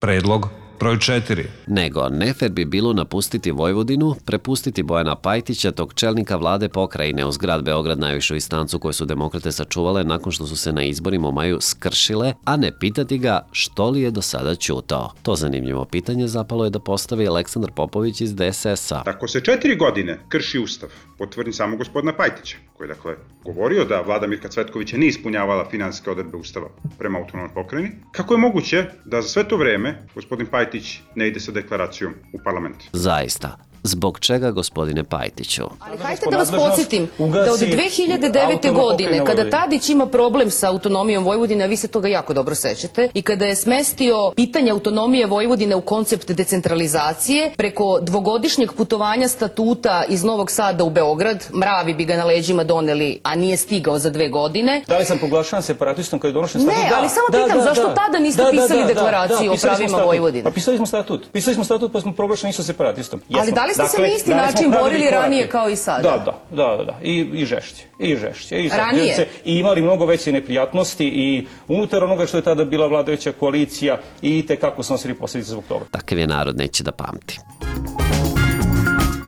Predlog broj 4. Nego, nefer bi bilo napustiti Vojvodinu, prepustiti Bojana Pajtića, tog čelnika vlade pokrajine uz grad Beograd, najvišu instancu koju su demokrate sačuvale nakon što su se na izborima u maju skršile, a ne pitati ga što li je do sada ćutao. To zanimljivo pitanje zapalo je da postavi Aleksandar Popović iz DSS-a. Ako se 4 godine krši ustav, potvrdim samo gospodina Pajtića, koji je dakle govorio da vlada Mirka Cvetkovića nije ispunjavala finansijske odredbe ustava prema autonomnoj pokrajini, kako je moguće da za sve to vreme gospodin Pajtić ne ide sa deklaracijom u parlament? Zaista. Zbog čega, gospodine Pajtiću? Ali hajde da vas podsjetim da od 2009. godine, kada Tadić ima problem sa autonomijom Vojvodine, a vi se toga jako dobro sećate, i kada je smestio pitanje autonomije Vojvodine u koncept decentralizacije, preko dvogodišnjeg putovanja statuta iz Novog Sada u Beograd, mravi bi ga na leđima doneli, a nije stigao za 2 godine. Da li sam proglašavan separatistom kad je donošen statut? Ne, ali samo pitam, zašto tada niste pisali deklaraciju o pravima Vojvodine? Pa pisali smo statut pa smo proglašeni isto separatistom. Ali da li ste se na isti način borili ranije kao i sada? Da. I žešće. Ranije? I imali mnogo veće neprijatnosti i unutar onoga što je tada bila vladajuća koalicija i tekako snosili posljedice zbog toga. Takav je narod, neće da pamti.